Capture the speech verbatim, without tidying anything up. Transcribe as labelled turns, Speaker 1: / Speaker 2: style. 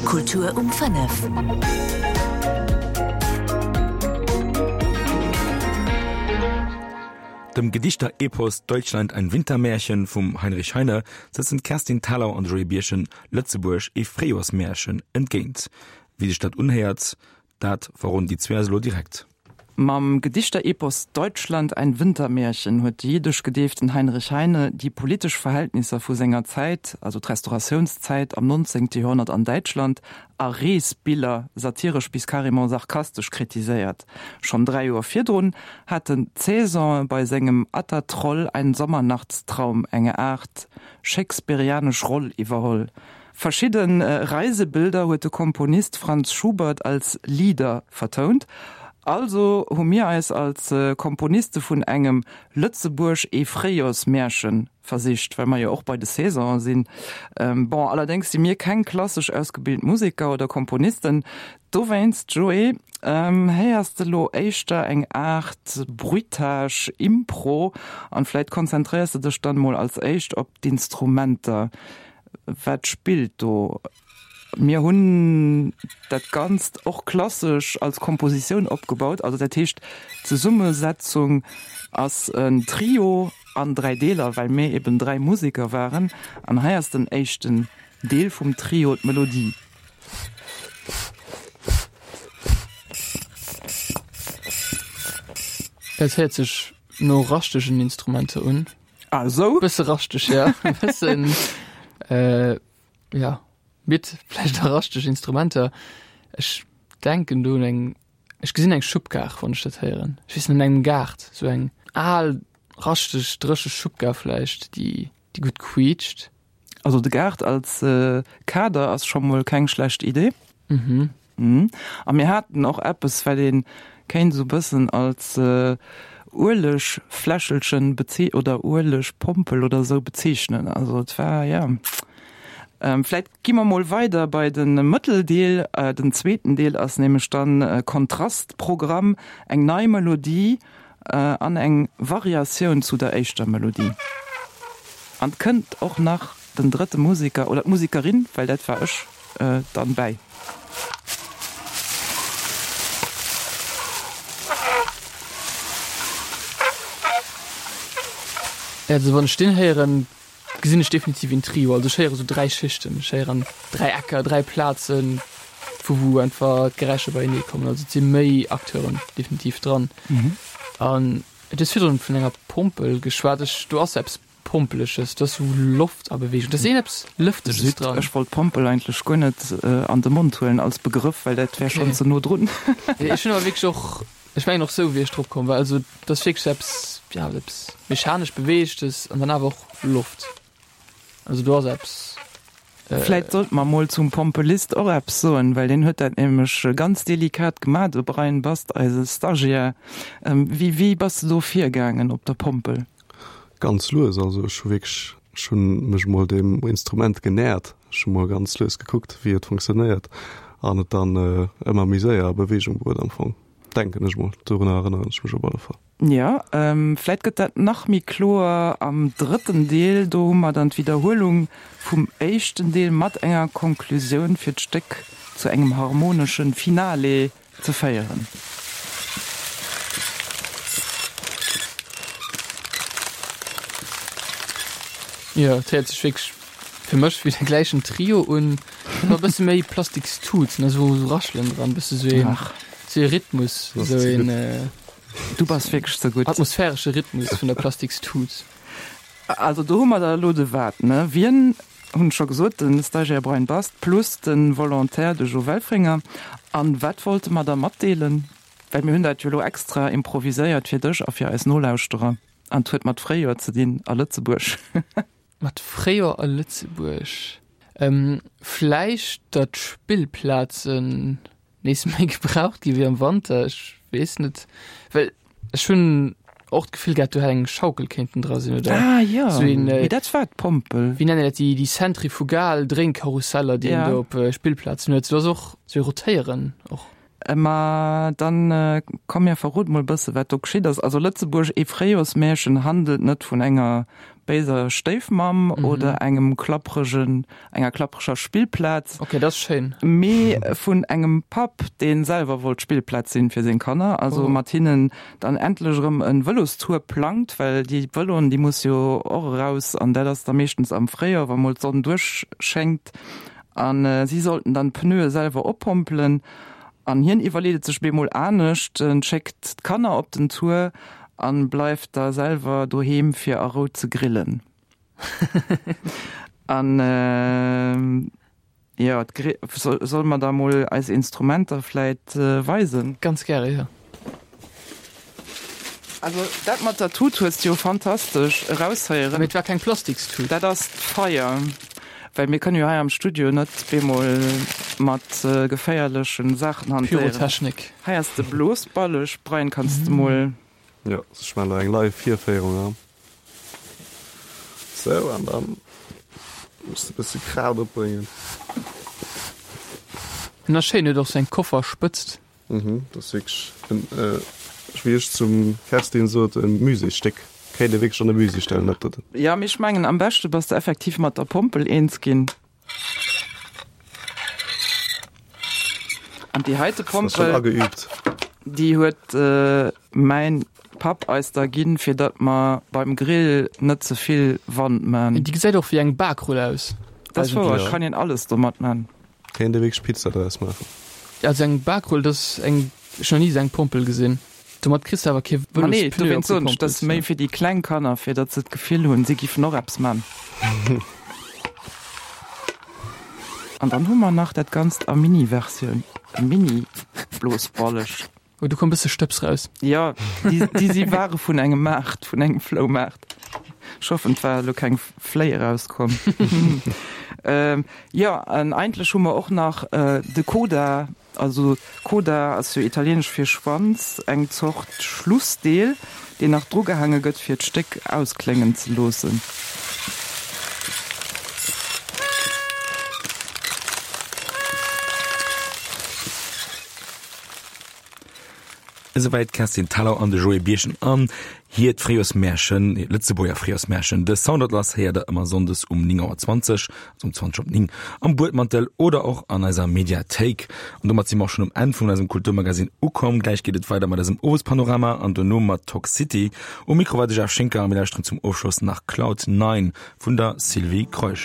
Speaker 1: Kultur um fënnef.
Speaker 2: Dem Gedichter-Epos Deutschland ein Wintermärchen vum Heinrich Heine setzen d'Kerstin Thalau an de Joé Birchen Lëtzebuerg ee Fréijoersmärchen entgéint. Wéi sech dat unhéiert, dat verroden déi zwee eis elo direkt.
Speaker 3: Mam Gedichter-Epos Deutschland ein Wintermärchen huet de jiddesch gedeeften Heinrich Heine déi politesch Verhältnisser vu senger Zäit, also d'Restauratiounszäit am nonzéngte Joerhonnert an Däitschland, a Reesbiller satiresch bis carrément sarkastesch kritiséiert. Schonn dräi Joer virdrun hat den Cézanne bei sengem Atta Troll ein Sommernachtstraum eng Aart shakespearianesch Roll iwwerholl. Verschidde Reisebilder huet de Komponist Franz Schubert als Lieder vertount. Also hu mir eis als Komponiste vun engem Lëtzebuerg ee Fréijoersmärchen versicht, well mer jo och bei de Saisonen sinn. Bon, allerdéngs si mir keng klassesch ausgebilt Museker oder Komponisten. Dowéinst, Joé, héiers de lo éischter eng Aart Bruitage, Impro an vläit konzentréiers de dech dann mol als éischt op d'Instrumenter. Wat spillt do? Mir hunn dat Ganzt och klassesch als Kompositioun opgebaut, also dat heescht d'Zesummesetzung ass en Trio an dräi Deeler, well mir eben dräi Museker waren. An hei ass den éischten Deel vum Trio, d'Melodie.
Speaker 4: Dat héiert sech no raschtegen Instrumenter un.
Speaker 3: Ah esou?
Speaker 4: Bësse raschteg, ja. Bëssen, ja, mit vläicht och raschteg Instrumenter. Ech denken do un eng, ech gesinn eng Schubkar, wann ech dat héieren. Ech weess net, an engem Gaart, sou eng al, raschteg, dréche Schubkar vläicht, déi, déi gutt quiitscht.
Speaker 3: Also de Gaart als Kader ass scho mol keng schlecht Idee.
Speaker 4: Mhm.
Speaker 3: A mir haten och eppes, wat ee kéint esou bëssen als Uelegfläschelchen bezee oder Uelegpompel oder esou bezeechnen. Also et war, jo. Vläit gi mer mol weider bei de Mëtteldeel. Den zweeten Deel ass nämlech dann Kontrastprogramm, eng nei Melodie an eng Variatioun zu der éischter Melodie. An 't kënnt och nach den drëtte Museker oder d'Musekerin, well dat war ech, dann bäi.
Speaker 4: Also wann ech deen héieren, gesinn ech definitiv een Trio. Also ech héiere sou dräi Schichten, ech héieren dräi Ecker, dräi Plazen, vu wou einfach d'Geräischer beienee kommen. Also et si méi Acteuren definitiv dran. An du hues virdrun vun enger Pompel geschwat. Ech, do ass eppes Pompeleges, do ass sou Loft a Beweegung, do ass een eppes Lëfteges dran.
Speaker 3: Ech wollt Pompel eigentlech guer net an de Mond huelen als Begrëff, well dat wär schonn ze no drun.
Speaker 4: Ech hunn awer wierklech och, ech mengen och sou wéi ech drop komm war, also et ass wierklech eppes, ja eppes mechanesch Beweegtes an dann awer och Loft. Also do ass eppes.
Speaker 3: Vläit sollte mer mol zum Pompelist och eppes soen, well deen huet dat nämlech ganz delikat gemat, de Brian Bast, eise Stagiaire. Wéi, wéi bass de do virgaangen op der Pompel?
Speaker 5: Ganz lues, also ech hu wierklech, ech hu mech mol deem Instrument genähert, ech hu mol ganz lues gekuckt, wéi et funktionéiert an et dann ëmmer méi séier a Beweegung bruet am Fong, denken ech mol, dorunner erënneren ech mech op alle Fall.
Speaker 3: Jo, vläit gëtt dat nach méi kloer am drëtten Deel, do hu mer dann d'Widderhuelung vum éischten Deel mat enger Konklusioun fir d'Stéck zu engem harmoneschen Finale ze féieren.
Speaker 4: Jo, et héiert sech wierklech fir mech wéi de gläichen Trio un, ma e bësse méi plastiks Tuten, also esou Raschelen dran, bësse sou een, sou ee Rhythmus, sou een
Speaker 3: Du bass wierklech ze gutt.
Speaker 4: Atmosphäresche Rhythmus vun der plastiks Tut.
Speaker 3: Also do hu mer da elo de Wat, ne? Wien, hunn ech scho gesot, de Stagiaire Brian Bast plus de Volontaire, de Jo Welfringer. An wat wollte mer da matdeelen? Well mir hunn dat jo elo extra improviséiert fir dech a fir eis Nolauschterer. An 't huet mat Fréijoer ze dinn a Lëtzebuerg.
Speaker 4: Mat Fréijoer a Lëtzebuerg? Vläicht datt Spillplazen nees méi gebraucht gi wéi am Wanter, ech weess net. Well ech hunn och d'Gefill gehat, do hätt eng Schaukel kéinten dra sinn oder
Speaker 3: Ah jo,
Speaker 4: sou een,
Speaker 3: mee dat war d'Pompel.
Speaker 4: wéi nennen dat déi, déi zentrifugal Dréinkarusseller, déi een
Speaker 3: Ja.
Speaker 4: do op Spillplazen huet. Do ass och sou e Rotéieren och.
Speaker 3: Ma dann komm mir verrot mol bësse wat do geschitt ass. Also Lëtzebuerg ee Fréijoersmärchen handelt net vun enger béiser Stéifmamm mhm. oder engem klappregen enger klappreger Spillplaz.
Speaker 4: Okay, dat ass schéin.
Speaker 3: Mee vun engem Papp, deen selwer wollt Spillplaz sinn fir seng Kanner, also oh. mat hinnen dann endlech erëm en Vëlostour plangt, well déi Vëloen déi muss jo och eraus an dat ass da meeschtens am Fréijoer, wa mol d'Sonn duerchschéngt. An äh, si sollten dann d'Pneue selwer oppompelen. An hien iwwerleet et sech bemol anescht, en schéckt d'Kanner op den Tour an bleift da selwer doheem fir a Rou ze grillen. An jo, solle mer da mol eis Instrumenter vläit weisen?
Speaker 4: Ganz gäre, jo.
Speaker 3: Also dat mat der Tut hues de jo fantastesch eraushéieren.
Speaker 4: Mee et war keng Plastikstut.
Speaker 3: Dat ass d'Feier. Well mir kënnen jo hei am Studio net bemol mat geféierlechen Saachen hantéieren.
Speaker 4: Pyrotechnik.
Speaker 3: Hei ass de Blosballeg. Brian, kanns de mol.
Speaker 5: Jo, ech maachen elo eng live Virféierung an. Sou, an dann muss de bësse Kraaft opbréngen.
Speaker 4: En ass schéin, huet och sou eng Kofferspëtzt.
Speaker 5: Mhm, dat ass wierklech en, wéi ech zum Kerstin sot, e Muséesstéck. Kéint ee wierklech an e Musée stellen, dat doten.
Speaker 3: Jo, mee ech mengen, am beschte bass de effektiv mat der Pompel eens ginn. An déi heite Pompel, déi huet mäin Papp eis da ginn, fir datt mer beim Grill net ze vill Wand man.
Speaker 4: Déi gesäit och wéi eng Bakrull aus.
Speaker 3: Dat ass wouer, et kann een alles domat man.
Speaker 5: Kéint ee wierklech Pizza draus maachen.
Speaker 4: Also eng Bakrull, dat ass eng, ech hunn nach ni esou eng Pompel gesinn. Domat kriss de awer kee
Speaker 3: Ma nee,
Speaker 4: Vëlospneu
Speaker 3: dowéinst soen ech, dat ass
Speaker 4: opgepompelt.
Speaker 3: méi fir déi kleng Kanner, fir datt se d'Gefill hunn, si giffen och eppes man. An dann hu mer nach dat Ganzt a Mini-Versioun, e Mini-Blosballeg.
Speaker 4: Oh, do koum e bësse Stëbs raus.
Speaker 3: Jo, déi, déi si ware vun engem Maart, vun engem Floumaart. Ech hoffen, et war elo keng Fléi erauskomm. Jo, an eigentlech hu mer och nach de Coda. Also Coda ass jo italieenesch fir Schwanz, eng Zort Schlussdeel, deen nach drugehaange gëtt, fir d'Stéck auskléngen ze loossen.
Speaker 2: Esouwäit d'Kerstin Thalau an de Joé Birchen an hiert Fréijoersmärchen, hiert Lëtzebuerger Fréijoersmärchen. De Soundatlas héiert der ëmmer sonndes um néng Auer zwanzeg, also um zwanzeg op néng, am Buedmantel oder och an eiser Mediathéik. An domat si mer och schonn um Enn vun eisem Kulturmagasinn ukomm. Gläich geet et weider mat eisem Owespanorama an dono mat Talk City. Um Mikro war de Jeff Schinker a mir lauschteren zum Ofschloss nach Cloud Nine vun der Sylvie Kreusch.